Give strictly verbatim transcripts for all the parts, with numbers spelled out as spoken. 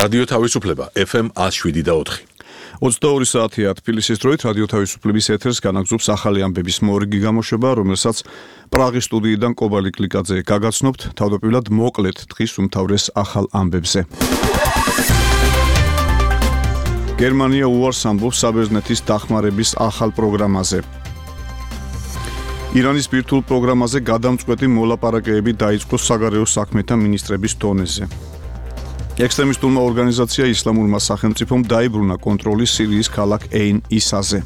რადიო თავისუფლება ეფ ემ one oh seven და four. ოცდაორი საათია თბილისის დროით რადიო თავისუფლების ეთერს განაგზობს ახალი ამბების მორიგი გამოშვება, რომელსაც პრაღის სტუდიიდან კობალი კლიკაძე გაგაცნობთ, თავდაპირველად მოკლედ დღის უმთავრეს ახალ ამბებზე. გერმანია უარს ამბობს საბერძნეთის დახმარების ახალ პროგრამაზე. ირანის ბირთვულ პროგრამაზე გადამწყვეტი მოლაპარაკებები დაიწყო საგარეო საქმეთა მინისტრების დონეზე. ექსტრემისტულმა ორგანიზაცია ისლამურმა სახელმწიფომ დაიბრუნა კონტროლი სირიის ქალაქ ეინ ისაზე.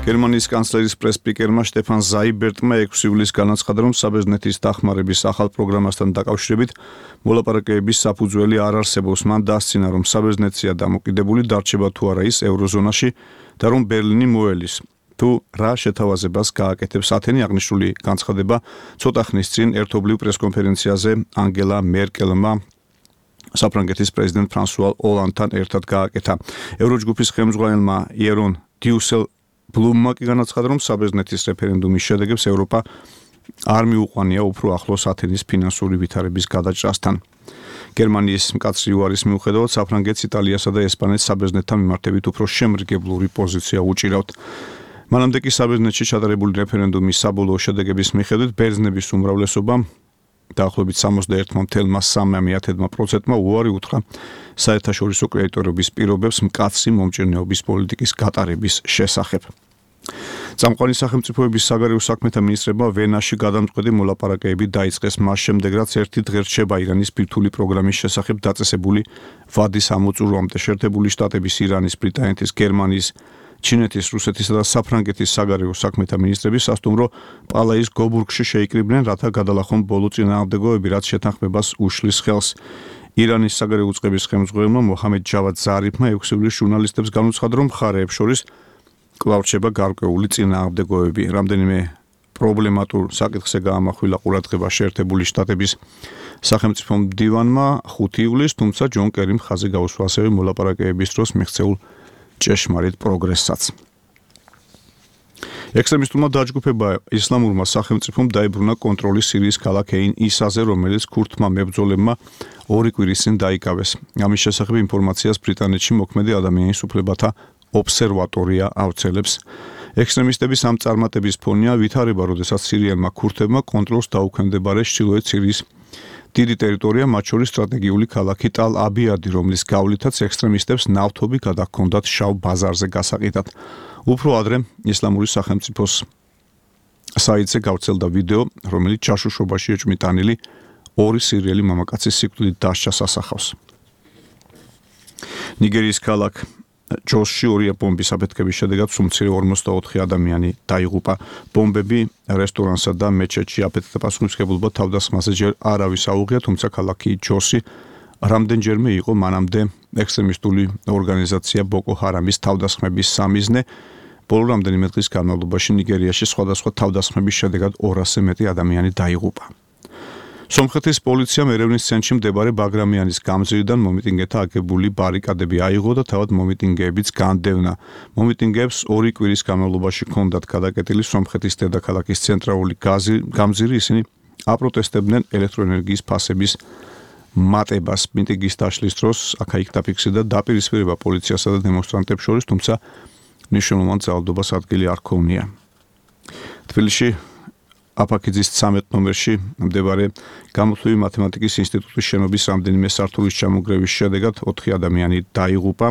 გერმანიის კანცლერის პრეს-სპიკერმა შტეფან ზაიბერტმა ექვსი ივლისს განაცხადა, რომ საბერძნეთის დახმარების ახალ პროგრამასთან დაკავშირებით მოლაპარაკებების საფუძველი არ არსებობს. მან დასცინა, რომ საბერძნეთია დამოკიდებული დარჩება თუ არა ის ევროზონაში და რომ ბერლინი მოელის. თუ რა შეთავაზებას გააკეთებს ათენი, აღნიშნული განცხადება ცოტა ხნის წინ ერთობლივ პრესკონფერენციაზე ანგელა მერკელმა საფრანგეთის პრეზიდენტ ფრანსუა ოლანდთან ერთად გააკეთა. ევროჯგუფის ხელმძღვანელმა იერონ დიუსელ ბლუმმა კი განაცხადა, რომ საბერძნეთის რეფერენდუმის შედეგებს ევროპა არ მიუყვანია უფრო ახლოს ათენის ფინანსური ვითარების გადაჭრასთან. გერმანიის მკაცრი უარის მიუხედავად საფრანგეთს, იტალიასა და ესპანეთს საბერძნეთთან მიმართებით უფრო შემრგებლური პოზიცია უჭირავთ. მანამდე კი საბერძნეთში ჩატარებული რეფერენდუმის საბოლოო შედეგების მიხედვით ბერძნების უმრავლესობამ დაახლოებით სამოცდაერთი целых სამი პროცენტმა უარი უთხრა საერთაშორისო კრედიტორობის პირობებს მკაცრი მომჭირნეობის პოლიტიკის გატარების შესახებ. წამყვანი სახელმწიფოების საგარეო საქმეთა მინისტრებმა ვენაში გადამწყვეტი მოლაპარაკებები დაიწყეს მას შემდეგ, რაც ერთი დღე რჩება ირანის ბირთვული პროგრამის შესახებ დაწესებული ვადის ამოწურვამდე. შეერთებული შტატების, ირანის, ბრიტანეთის, გერმანიის, ჩინეთის, რუსეთისა და საფრანგეთის საგარეო საქმეთა მინისტრები სასტუმრო პალაის გობურგში შეიკრიბნენ, რათა გადალახონ ბოლო წინააღმდეგობები, რაც შეთანხმებას უშლის ხელს. ირანის საგარეო უწყების ხელმძღვანელმა მოჰამედ ჯავად ზარიფმა ექვსი ივლისს ჟურნალისტებს განუცხადა, რომ მხარეებს შორის კვლავ რჩება გარკვეული წინააღმდეგობები. რამდენიმე პრობლემატურ საკითხზე გაამახვილა ყურადღება შეერთებული შტატების სახელმწიფო მდივანმა ხუთი ივლისს, თუმცა ჯონ კერიმ ხაზი გაუსვა ასევე მოლაპარაკებების დროს მიღწეულ ჭეშმარიტ პროგრესსაც. ექსტრემისტულმა დაჯგუფება ისლამურმა სახელმწიფომ დაიბრუნა კონტროლი სირიის ქალაქ ეინ ისაზე, რომელიც ქურთმა მებრძოლებმა ორი კვირის წინ დაიკავეს. ამის შესახებ ინფორმაციას ბრიტანეთში მოქმედი ადამიანის უფლებათა ობსერვატორია ავრცელებს. ექსტრემისტების ამ წარმატების ფონია ვითარება, როდესაც სირიელმა ქურთებმა კონტროლს დაუქვემდებარეს ჩრდილოეთ სირიის დიდი ტერიტორია, მათ შორის სტრატეგიული ქალაქი ტალ-აბიადი, რომლის გავლითაც ექსტრემისტებს ნავთობი გადაჰქონდათ შავ ბაზარზე გასაყიდად. უფრო ადრე ისლამური სახელმწიფოს საიტზე გავრცელდა ვიდეო, რომელიც ჯაშუშობაში ეჭვმიტანილი ორი სირიელი მამაკაცის სიკვდილით დასჯას ასახავს. ნიგერიის ქალაქ ჯოსში ორი ბომბის აფეთქების შედეგად სულ ორმოცდაოთხი ადამიანი დაიღუპა. ბომბები რესტორანსა და მეჩეთში აფეთქდა. პასუხისმგებლობა თავდასხმაზე ჯერ არავის აუღია, თუმცა ქალაქი ჯოსი რამდენჯერმე იყო მანამდე ექსტრემისტული ორგანიზაცია ბოკო ჰარამის თავდასხმების სამიზნე. ბოლო რამდენიმე დღის განმავლობაში ნიგერიაში სხვადასხვა თავდასხმების შედეგად ორასზე მეტი ადამიანი დაიღუპა. სომხეთის პოლიციამ ერევნის ცენტრში მდებარე ბაგრამიანის გამზირიდან მომიტინგეთა აგებული ბარიკადები აიღო და თავად მომიტინგეებიც განდევნა. მომიტინგეებს ორი კვირის განმავლობაში ჰქონდათ გადაკეტილი სომხეთის დედაქალაქის ცენტრალური გამზირი. ისინი აპროტესტებდნენ ელექტროენერგიის ფასების მატებას. მიტინგის დაშლის დროს აქა-იქ დაფიქსირდა დაპირისპირება პოლიციასა და დემონსტრანტებს შორის, თუმცა მნიშვნელოვან ძალადობას ადგილი არ ჰქონია. თბილისში აფაქიძის ცამეტ ნომერში მდებარე გამოთვლილი მათემატიკის ინსტიტუტის შენობის რამდენიმე სართულის ჩამონგრევის შედეგად ოთხი ადამიანი დაიღუპა.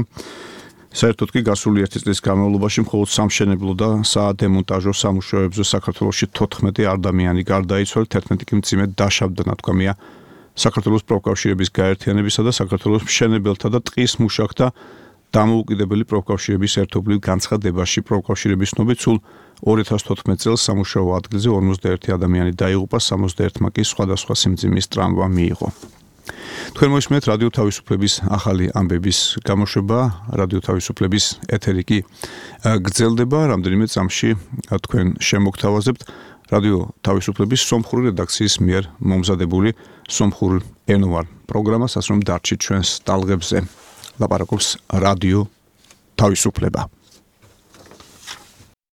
საერთოდ კი გასული ერთი წლის განმავლობაში მხოლოდ სამშენებლო და საადემონტაჟო სამუშაოებზე საქართველოში თოთხმეტი ადამიანი გარდაიცვალა, თერთმეტი კი მძიმედ დაშავდა, ნათქვამია საქართველოს პროფკავშირების გაერთიანებისა და საქართველოს მშენებელთა და ტყის მუშაკთა დამოუკიდებელი პროფკავშირების ერთობლივ განცხადებაში. პროფკავშირების ცნობით სულ ორი ათას თოთხმეტ წელს სამუშაო ადგილზე ორმოცდაერთი ადამიანი დაიღუპა, სამოცდაერთმა კი სხვადასხვა სიმძიმის ტრამვა მიიღო. თქვენ მოისმენთ რადიო თავისუფლების ახალი ამბების გამოშვება. რადიო თავისუფლების ეთერი კი გრძელდება. რამდენიმე წამში თქვენ შემოგთავაზებთ რადიო თავისუფლების სომხური რედაქციის მიერ მომზადებული სომხურ ენოვან პროგრამას, ასე რომ დარჩით ჩვენს ტალღებზე. ლაპარაკობს რადიო თავისუფლება.